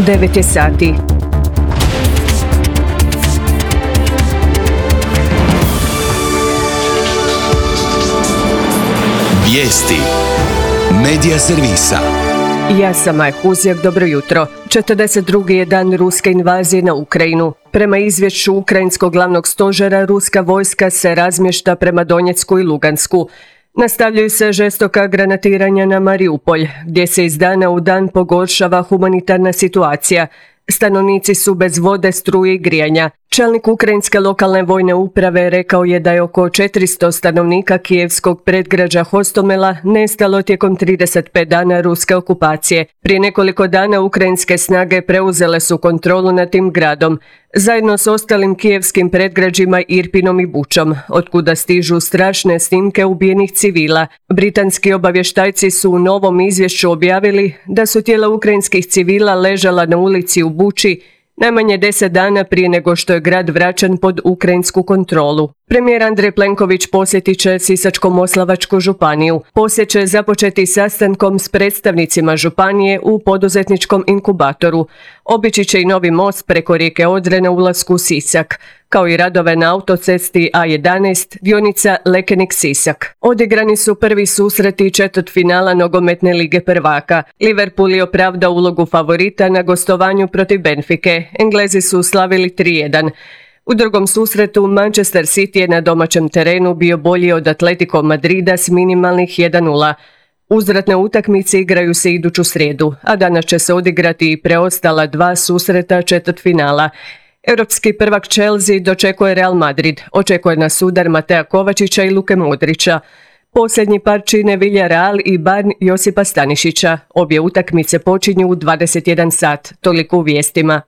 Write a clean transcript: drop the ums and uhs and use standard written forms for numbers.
9 je sati. Vijesti Medija servisa. Ja sam Maja Huzjak, dobro jutro. 42. je dan ruske invazije na Ukrajinu. Prema izvješću ukrajinskog glavnog stožera, ruska vojska se razmješta prema Donjecku i Lugansku. Nastavljaju se žestoka granatiranja na Mariupolj, gdje se iz dana u dan pogoršava humanitarna situacija. Stanovnici su bez vode, struje i grijanja. Čelnik ukrajinske lokalne vojne uprave rekao je da je oko 400 stanovnika kijevskog predgrađa Hostomela nestalo tijekom 35 dana ruske okupacije. Prije nekoliko dana ukrajinske snage preuzele su kontrolu nad tim gradom, zajedno s ostalim kijevskim predgrađima Irpinom i Bučom, otkuda stižu strašne snimke ubijenih civila. Britanski obavještajci su u novom izvješću objavili da su tijela ukrajinskih civila ležala na ulici u Buči najmanje 10 dana prije nego što je grad vraćan pod ukrajinsku kontrolu. Premijer Andrej Plenković posjetit će Sisačko-moslavačku županiju. Posjet će započeti sastankom s predstavnicima županije u poduzetničkom inkubatoru. Obići će i novi most preko rijeke Odre na ulasku u Sisak, kao i radove na autocesti A11, dionica Lekenik-Sisak. Odigrani su prvi susreti četvrtfinala nogometne lige prvaka. Liverpool je opravdao ulogu favorita na gostovanju protiv Benfike. Englezi su slavili 3:1. U drugom susretu Manchester City je na domaćem terenu bio bolji od Atletico Madrida s minimalnih 1:0. Uzvratne utakmice igraju se iduću srijedu, a danas će se odigrati i preostala 2 susreta četvrtfinala. Europski prvak Chelsea dočekuje Real Madrid, očekuje nas udar Matea Kovačića i Luke Modrića. Posljednji par čine Villarreal i Bayern Josipa Stanišića. Obje utakmice počinju u 21 sat, toliko u vijestima.